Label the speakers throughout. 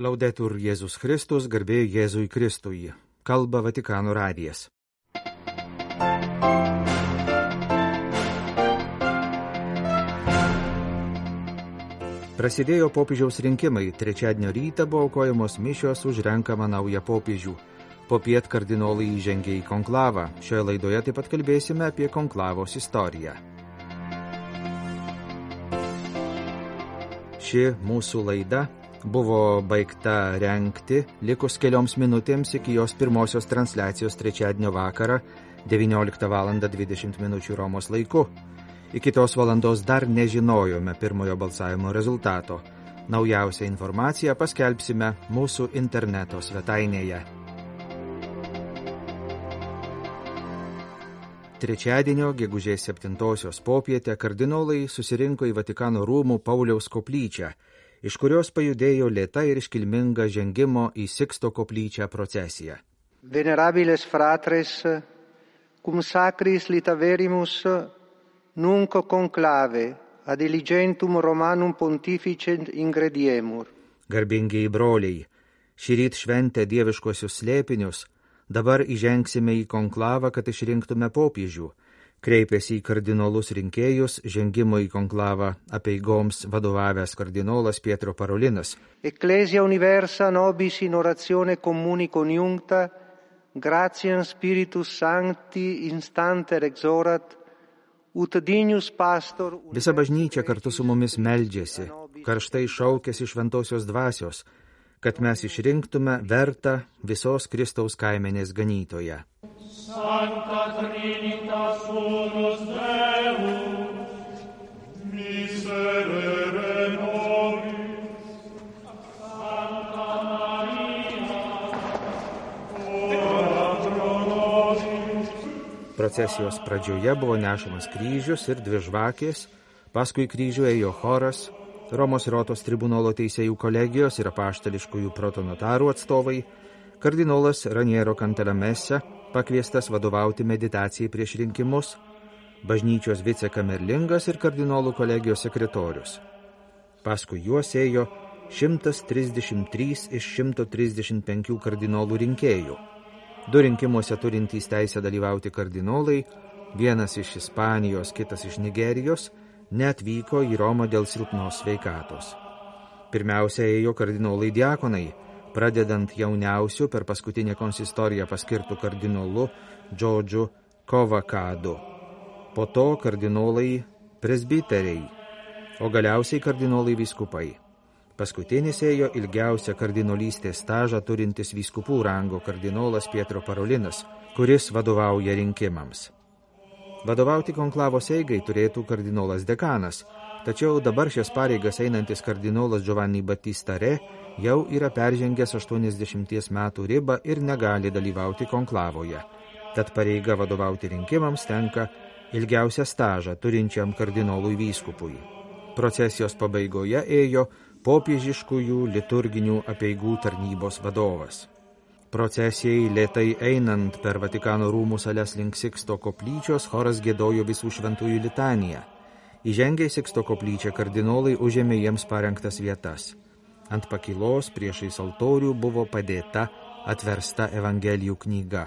Speaker 1: Laudetur Jėzus Kristus, garbė Jėzui Kristui. Kalba Vatikano radijas. Prasidėjo popiežiaus rinkimai. Trečiadienio rytą buvo aukojamos mišios už renkamą naują popiežių. Popiet kardinolai įžengė į konklavą. Šioje laidoje taip pat kalbėsime apie konklavos istoriją. Ši mūsų laida buvo baigta rengti likus kelioms minutėms iki jos pirmosios transliacijos trečiadienio vakarą 19:20 Romos laiku. Iki tos valandos dar nežinojome pirmojo balsavimo rezultato. Naujausią informaciją paskelbsime mūsų interneto svetainėje. Trečiadienio gegužės 7 popietę kardinolai susirinko į Vatikano rūmų Pauliaus koplyčią, iš kurios pajudėjo lėta ir iškilminga žengimo į Siksto koplyčią procesija.
Speaker 2: Venerabiles fratres, cum sacris litaverimus nunc conclave ad diligentum Romanum pontificem ingrediemur.
Speaker 1: Garbingieji broliai, šįryt šventę dieviškuosius slėpinius, dabar įžengsime į konklavą, kad išrinktume popiežių. Kreipėsi į kardinolus rinkėjus žengimo į konklavą apeigoms vadovavęs kardinolas Pietro Parolinas.
Speaker 2: Ecclesia universa nobis in oratione communi conjuncta, gratiam Spiritus Sancti instanter exorat, ut dignus pastor...
Speaker 1: Visa bažnyčia kartu su mumis meldžiasi, karštai šaukėsi šventosios dvasios, kad mes išrinktume vertą visos Kristaus kaimenės ganytoją.
Speaker 3: Sancta Trinitas unus Deus, miserere nobis, Sancta Maria, ora pro nobis.
Speaker 1: Procesijos pradžioje buvo nešamas kryžius ir dvi žvakės, paskui kryžių ėjo choras, Romos Rotos tribunolo teisėjų kolegijos ir apaštališkųjų protonotarų atstovai, kardinolas Raniero Cantalamessa, pakviestas vadovauti meditacijai prieš rinkimus, bažnyčios vicekamerlingas ir kardinolų kolegijos sekretorius. Paskui juos ėjo 133 iš 135 kardinolų rinkėjų. 2 rinkimuose turintys teisę dalyvauti kardinolai, vienas iš Ispanijos, kitas iš Nigerijos, neatvyko į Romą dėl silpnos sveikatos. Pirmiausia ėjo kardinolai diakonai, pradedant jauniausiu per paskutinę konsistoriją paskirtų kardinolu Džordžu Kovakadu. Po to kardinolai presbiteriai, o galiausiai kardinolai vyskupai. Paskutinis ėjo ilgiausią kardinolystės stažą turintis vyskupų rango kardinolas Pietro Parolinas, kuris vadovauja rinkimams. Vadovauti konklavos eigai turėtų kardinolas dekanas, tačiau dabar šias pareigas einantis kardinolas Giovanni Battista Re jau yra peržengęs 80 metų ribą ir negali dalyvauti konklavoje. Tad pareiga vadovauti rinkimams tenka ilgiausią stažą turinčiam kardinolui vyskupui. Procesijos pabaigoje ėjo popiežiškųjų liturginių apeigų tarnybos vadovas. Procesijai lėtai einant per Vatikano rūmų sales link Siksto koplyčios, choras giedojo visų šventųjų litaniją. Įžengę į Siksto koplyčią kardinolai užėmė jiems parengtas vietas. Ant pakylos priešais altorių buvo padėta atversta Evangelijų knyga.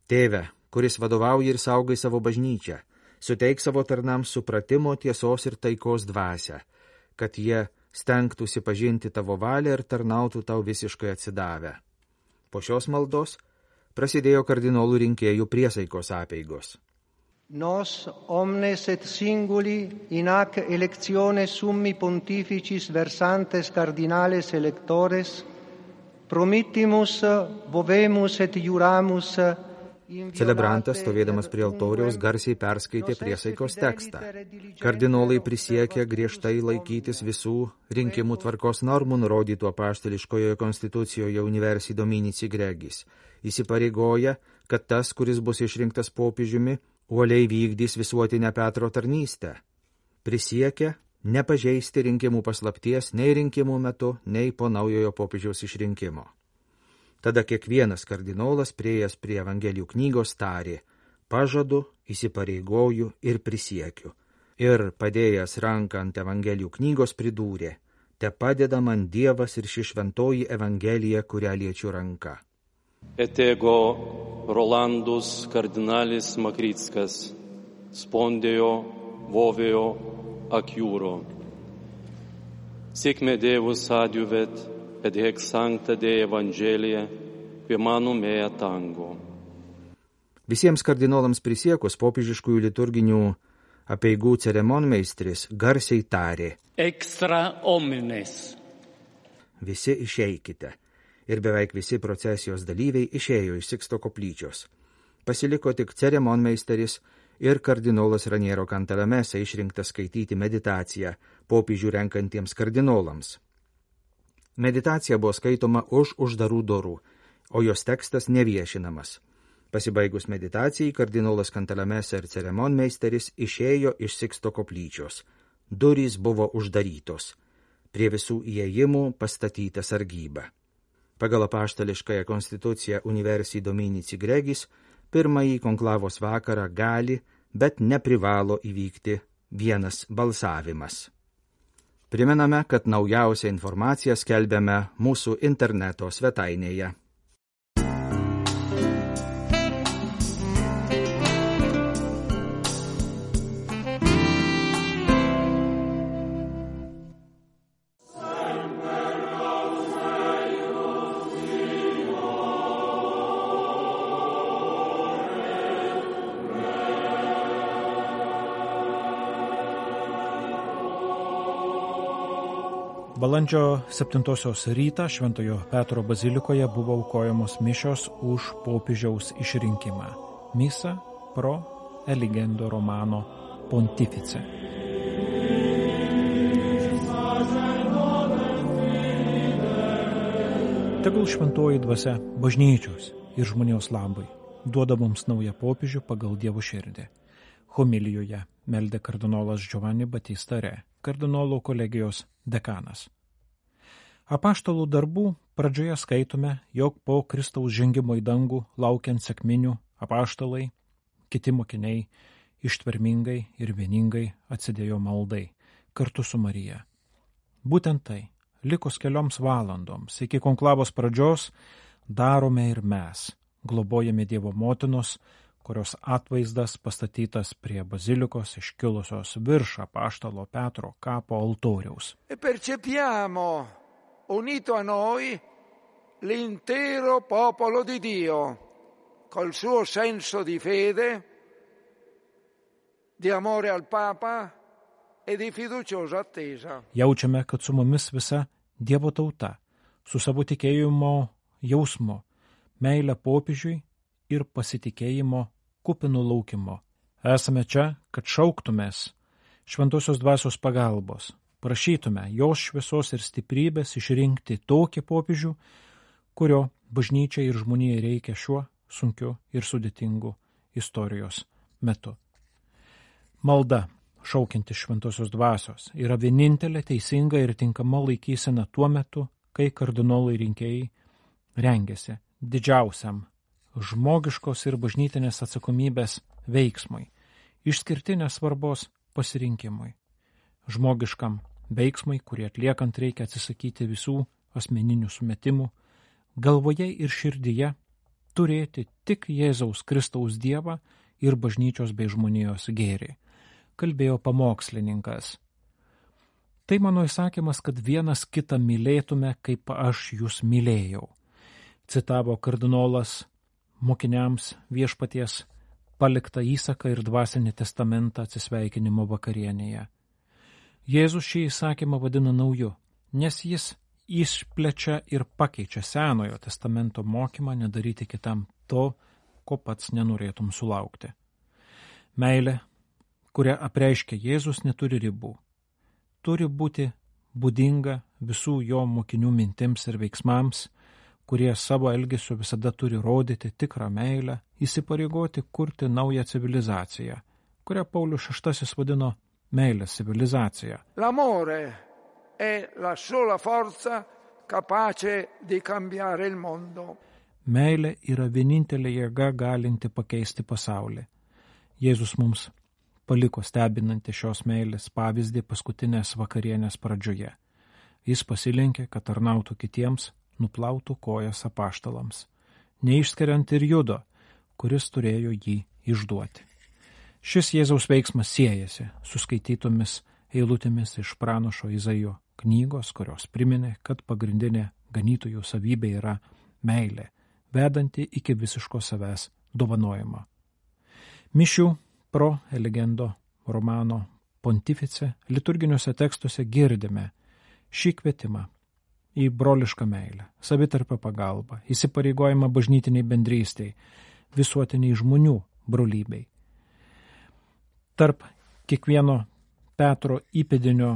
Speaker 1: Tėve, kuris vadovauja ir saugai savo bažnyčią, suteik savo tarnams supratimo, tiesos ir taikos dvasią, kad jie stengtųsi pažinti tavo valią ir tarnautų tau visiškai atsidavę. Po šios maldos prasidėjo kardinolų rinkėjų priesaikos apeigos.
Speaker 2: Nos omnes et singuli in hac electione summi pontificis versantes cardinales electores promittimus vovemus et juramus.
Speaker 1: Celebrantas, stovėdamas prie altoriaus, garsiai perskaitė priesaikos tekstą. Kardinolai prisiekė griežtai laikytis visų rinkimų tvarkos normų nurodytų apaštališkojoje konstitucijoje Universi Dominici Gregis. Įsipareigoja, kad tas, kuris bus išrinktas popiežiumi, uoliai vykdys visuotinę Petro tarnystę. Prisiekė nepažeisti rinkimų paslapties nei rinkimų metu, nei po naujojo popiežiaus išrinkimo. Tada kiekvienas kardinolas priėjęs prie Evangelijų knygos tarė: pažadu, įsipareigoju ir prisiekiu. Ir padėjęs ranką ant Evangelijų knygos pridūrė: te padeda man Dievas ir ši šventoji Evangelija, kurią liečiu ranka.
Speaker 4: Etego Rolandus kardinalis Makrickas, spondėjo vovėjo acchiuro. Sic me Deus adiuvet, et hec sancta Dei Evangelia, que manum mea tango.
Speaker 1: Visiems kardinolams prisiekus popiežiškųjų liturginių apeigų ceremonmeistris garsiai tarė:
Speaker 5: extra omnes.
Speaker 1: Visi išeikite. Ir beveik visi procesijos dalyviai išėjo iš Siksto koplyčios. Pasiliko tik ceremonmeisteris ir kardinolas Raniero Cantalamessa išrinktas skaityti meditaciją popiežių renkantiems kardinolams. Meditacija buvo skaitoma už uždarų durų, o jos tekstas neviešinamas. Pasibaigus meditacijai, kardinolas Cantalamessa ir ceremonmeisteris išėjo iš Siksto koplyčios. Durys buvo uždarytos. Prie visų įėjimų pastatyta sargyba. Pagal apaštališkąją konstituciją Universi Dominici Gregis, pirmąjį konklavos vakarą gali, bet neprivalo įvykti vienas balsavimas. Primename, kad naujausią informaciją skelbiame mūsų interneto svetainėje.
Speaker 6: Balandžio 7 rytą Šventojo Petro bazilikoje buvo aukojamos mišios už popiežiaus išrinkimą. Misa pro eligendo Romano pontifice. Tegul šventoji dvasia bažnyčios ir žmonijos labai duoda mums naują popiežių pagal Dievo širdį. Homilijoje meldė kardinolas Giovanni Battista Re, kardinolų kolegijos dekanas. Apaštalų darbų pradžioje skaitome, jog po Kristaus žengimo į dangų laukiant sekminių apaštalai, kiti mokiniai ištvermingai ir vieningai atsidėjo maldai kartu su Marija. Būtent tai, likus kelioms valandoms iki konklavos pradžios, darome ir mes, globojame Dievo motinos, kurios atvaizdas pastatytas prie bazilikos iškilusios virš apaštalo Petro kapo altoriaus.
Speaker 7: E percepiamo unito a noi l'intero popolo di Dio, col suo senso di fede, di amore al Papa e di fiduciosa attesa.
Speaker 6: Jaučiame, kad su mumis visa Dievo tauta, su savo tikėjimo jausmu, meilę popiežiui ir pasitikėjimo kupinų laukimo. Esame čia, kad šauktumės šventosios dvasios pagalbos, prašytume jos šviesos ir stiprybės išrinkti tokį popiežių, kurio bažnyčiai ir žmonijai reikia šiuo sunkiu ir sudėtingu istorijos metu. Malda, šaukianti šventosios dvasios, yra vienintelė teisinga ir tinkama laikysena tuo metu, kai kardinolai rinkėjai rengiasi didžiausiam žmogiškos ir bažnytinės atsakomybės veiksmui, išskirtinės svarbos pasirinkimui, žmogiškam veiksmui, kurį atliekant reikia atsisakyti visų asmeninių sumetimų, galvoje ir širdyje turėti tik Jėzaus Kristaus Dievą ir bažnyčios bei žmonijos gėrį, kalbėjo pamokslininkas. Tai mano įsakymas, kad vienas kitą mylėtume, kaip aš jūs mylėjau, citavo kardinolas mokiniams viešpaties paliktą įsaką ir dvasinį testamentą atsisveikinimo vakarienėje. Jėzus šį įsakymą vadina nauju, nes jis išplečia ir pakeičia Senojo testamento mokymą nedaryti kitam to, ko pats nenorėtum sulaukti. Meilė, kurią apreiškia Jėzus, neturi ribų. Turi būti būdinga visų jo mokinių mintims ir veiksmams, kurie savo elgesiu visada turi rodyti tikrą meilę, įsipareigoti kurti naują civilizaciją, kurią Paulius VI vadino meilės civilizacija.
Speaker 7: L'amore è la sola forza capace di cambiare il mondo.
Speaker 6: Meilė yra vienintelė jėga galinti pakeisti pasaulį. Jėzus mums paliko stebinantį šios meilės pavyzdį paskutinės vakarienės pradžioje. Jis pasilenkė, kad tarnautų kitiems, nuplautų kojas apaštalams, neišskiriant ir Judo, kuris turėjo jį išduoti. Šis Jėzaus veiksmas siejasi su skaitytomis eilutėmis iš pranašo Izaijo knygos, kurios priminė, kad pagrindinė ganytojų savybė yra meilė, vedanti iki visiško savęs dovanojimo. Mišių pro eligendo romano pontifice liturginiuose tekstuose girdime šį kvietimą į brolišką meilę, savitarpio pagalbą, įsipareigojimą bažnytiniai bendrystei, visuotiniai žmonių brolybei. Tarp kiekvieno Petro įpėdinio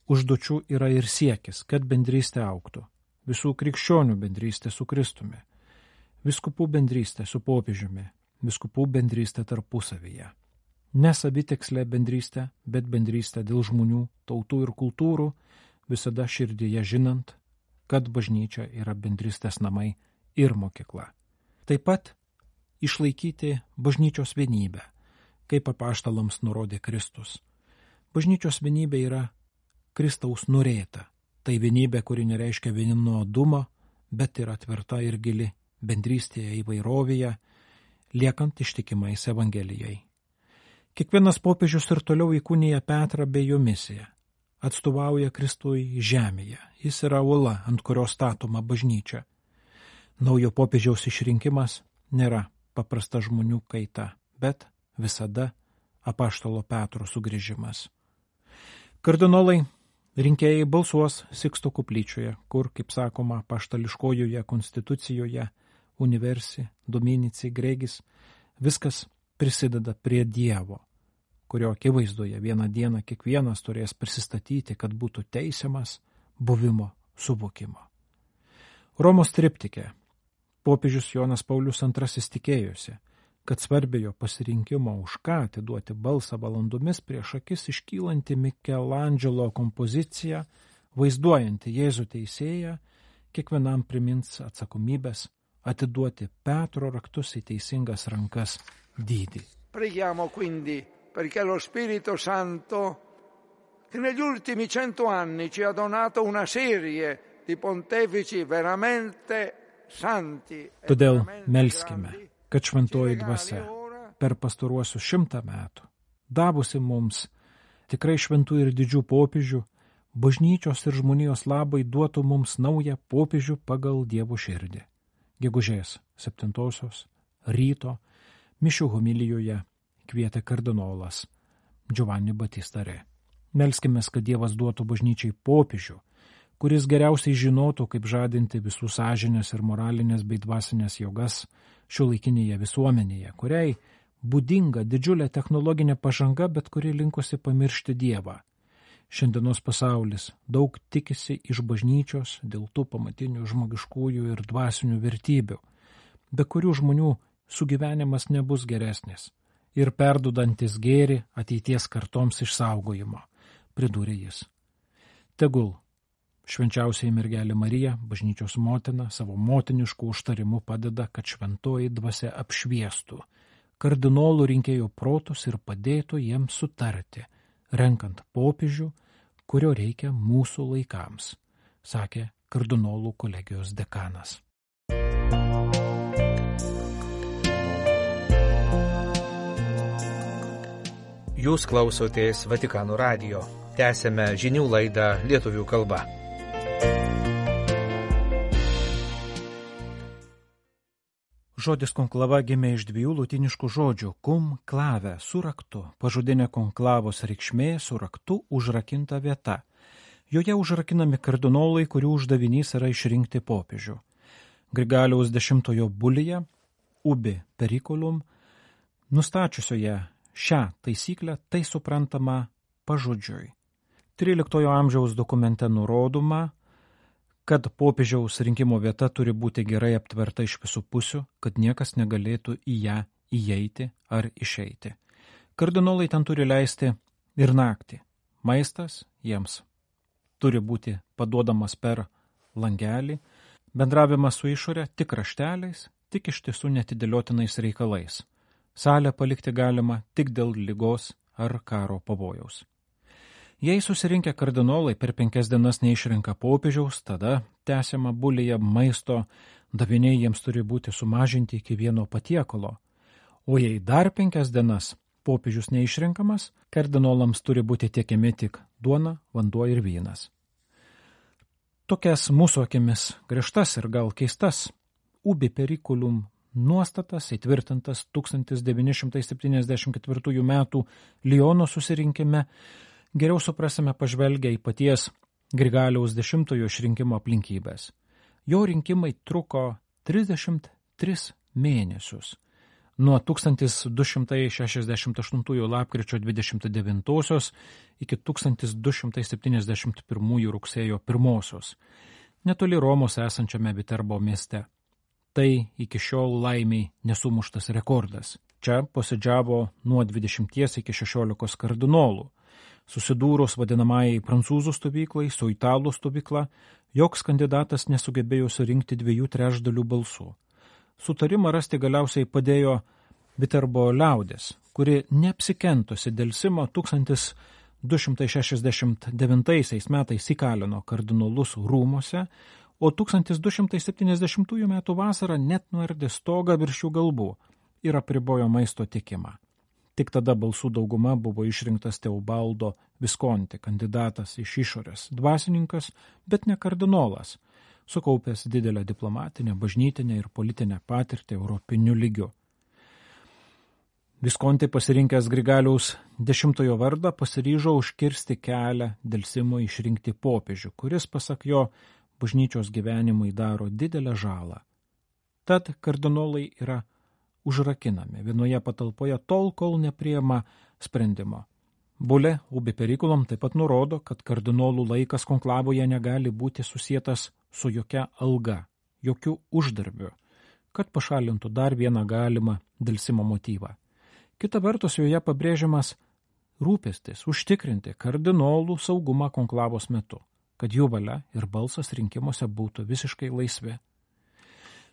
Speaker 6: užduočių yra ir siekis, kad bendrystė augtų, visų krikščionių bendrystė su Kristumi, viskupų bendrystė su popiežiumi, viskupų bendrystė tarpusavyje. Ne savitikslė bendrystė, bet bendrystė dėl žmonių, tautų ir kultūrų, visada širdyje žinant, kad bažnyčia yra bendrystės namai ir mokykla. Taip pat išlaikyti bažnyčios vienybę, kaip apaštalams nurodė Kristus. Bažnyčios vienybė yra Kristaus norėta. Tai vienybė, kuri nereiškia vienodumą, bet yra tvirta ir gili bendrystėje įvairovėje, liekant ištikimais Evangelijai. Kiekvienas popiežius ir toliau įkūnija Petrą bei jo misiją. Atstovauja Kristui žemėje. Jis yra uola, ant kurios statoma bažnyčia. Naujo popiežiaus išrinkimas nėra paprasta žmonių kaita, bet visada apaštalo Petro sugrįžimas. Kardinolai rinkėjai balsuos Siksto koplyčioje, kur, kaip sakoma, apaštališkojoje konstitucijoje Universi Dominici Gregis viskas prisideda prie Dievo, kurio akivaizdoje vieną dieną kiekvienas turės prisistatyti, kad būtų teisiamas buvimo suvokimo. Romos triptike popiežius Jonas Paulius II tikėjosi, kad svarbėjo pasirinkimo už ką atiduoti balsą valandomis prieš akis iškylanti Mikelandželo kompoziciją, vaizduojanti Jėzų teisėją, kiekvienam primins atsakomybės atiduoti Petro raktus į teisingas rankas dydį.
Speaker 7: Preghiamo quindi perché lo Spirito Santo, che negli ultimi 100 anni ci ha donato una serie di pontefici veramente santi.
Speaker 6: Todėl melskime, kad šventoji dvasia per pastaruosius 100 metų, davusi mums tikrai šventų ir didžių popiežių, bažnyčios ir žmonijos labai duotų mums naują popiežių pagal Dievo širdį. Gegužės 7 ryto mišių homilijoje kvietė kardinolas Giovanni Battista Re. Melskimės, kad Dievas duotų bažnyčiai popiežių, kuris geriausiai žinotų, kaip žadinti visų sąžinės ir moralinės bei dvasinės jėgas šiuolaikinėje visuomenėje, kuriai būdinga didžiulė technologinė pažanga, bet kuri linkosi pamiršti Dievą. Šiandienos pasaulis daug tikisi iš bažnyčios dėl tų pamatinių žmogiškųjų ir dvasinių vertybių, be kurių žmonių sugyvenimas nebus geresnis ir perdudantis gėrį ateities kartoms išsaugojimo, pridūrė jis. Tegul švenčiausiai mergelė Marija, bažnyčios motina, savo motinišku užtarimu padeda, kad šventoji dvasia apšviestų kardinolų rinkėjų protus ir padėtų jiems sutarti, renkant popiežių, kurio reikia mūsų laikams, sakė kardinolų kolegijos dekanas.
Speaker 1: Jūs klausotės Vatikano radijo. Tęsėme žinių laidą lietuvių kalba.
Speaker 6: Žodis konklava gimė iš dviejų lotyniškų žodžių cum clave su raktu, pažodinė konklavos reikšmė su raktu užrakinta vieta. Joje užrakinami kardinolai, kurių uždavinys yra išrinkti popiežių. Grigaliaus X bulyje Ubi Periculum, nustačiusioje šią taisyklę, tai suprantama pažodžiui. 13 amžiaus dokumente nurodoma, kad popiežiaus rinkimo vieta turi būti gerai aptverta iš visų pusių, kad niekas negalėtų į ją įeiti ar išeiti. Kardinolai ten turi leisti ir naktį. Maistas jiems turi būti paduodamas per langelį, bendravimas su išorė tik rašteliais, tik iš tiesų netidėliotinais reikalais. Salę palikti galima tik dėl ligos ar karo pavojaus. Jei susirinkę kardinolai per 5 dienas neišrenka popiežiaus, tada tęsiama bulėje maisto, daviniai jiems turi būti sumažinti iki 1 patiekalo, o jei dar 5 dienas popiežius neišrenkamas, kardinolams turi būti tiekiami tik duona, vanduo ir vynas. Tokias mūsų akimis griežtas ir gal keistas ubi periculum nuostatas įtvirtintas 1974 metų Liono susirinkime geriau suprasime pažvelgę į paties Grigaliaus X išrinkimo aplinkybės. Jo rinkimai truko 33 mėnesius, nuo 1268 lapkričio 29 iki 1271 rugsėjo 1, netoli Romos esančiame Viterbo mieste. Tai iki šiol laimiai nesumuštas rekordas. Čia posėdžiavo nuo 20 iki 16 kardinolų. Susidūrus vadinamajai prancūzų stovyklai su italų stovykla, joks kandidatas nesugebėjo surinkti 2/3 balsų. Sutarimą rasti galiausiai padėjo Viterbo liaudės, kuri neapsikentusi delsimo 1269 metais įkalino kardinolus rūmose, o 1270 metų vasarą net nuardė stogą virš jų galvų ir apribojo maisto tiekimą. Tik tada balsų dauguma buvo išrinktas Teobaldo Viskonti, kandidatas iš išorės, dvasininkas, bet ne kardinolas, sukaupęs didelę diplomatinę, bažnytinę ir politinę patirtį europiniu lygiu. Viskonti pasirinkęs Grigaliaus X vardą pasiryžo užkirsti kelią delsimui išrinkti popiežių, kuris, pasak jo, bažnyčios gyvenimui daro didelę žalą. Tad kardinolai yra užrakinami vienoje patalpoje tol, kol nepriima sprendimo. Bulė ubi periculum taip pat nurodo, kad kardinolų laikas konklavoje negali būti susietas su jokia alga, jokių uždarbių, kad pašalintų dar vieną galimą delsimo motyvą. Kita vertus, joje pabrėžiamas rūpestis užtikrinti kardinolų saugumą konklavos metu, kad jų valia ir balsas rinkimuose būtų visiškai laisvi.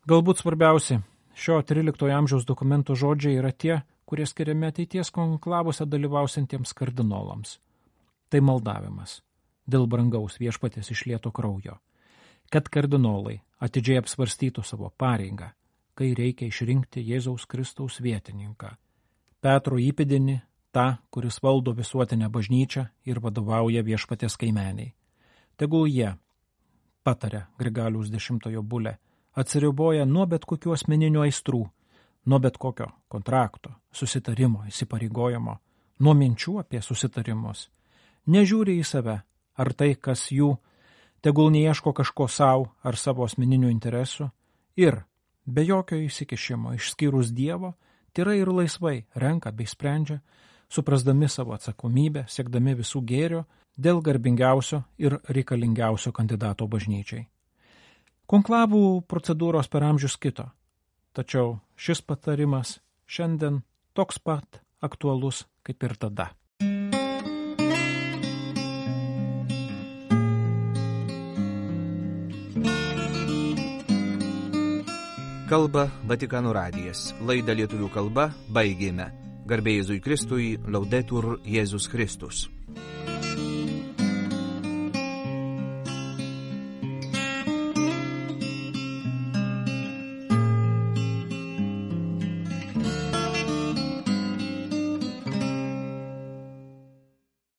Speaker 6: Galbūt svarbiausi šio 13 amžiaus dokumento žodžiai yra tie, kurie skiriami ateities konklavose dalyvausintiems kardinolams. Tai maldavimas dėl brangaus viešpaties išlieto kraujo, kad kardinolai atidžiai apsvarstytų savo pareigą, kai reikia išrinkti Jėzaus Kristaus vietininką, Petro įpėdinį, tą, kuris valdo visuotinę bažnyčią ir vadovauja viešpaties kaimeniai. Tegul jie, patarė Grigaliaus X bulė, atsiriboja nuo bet kokių asmeninių aistrų, nuo bet kokio kontrakto, susitarimo, įsipareigojimo, nuo minčių apie susitarimus. Nežiūri į save, ar tai, kas jų, tegul neieško kažko savo ar savo asmeninių interesų ir, be jokio įsikišimo, išskyrus Dievo, tyrai ir laisvai renka bei sprendžia, suprasdami savo atsakomybę, siekdami visų gėrio dėl garbingiausio ir reikalingiausio kandidato bažnyčiai. Konklavų procedūros per amžius kito, tačiau šis patarimas šiandien toks pat aktualus kaip ir tada.
Speaker 1: Kalba Vatikano radijas. Laidą lietuvių kalba baigėme. Garbė Jėzui Kristui, Laudetur Jėzus Kristus.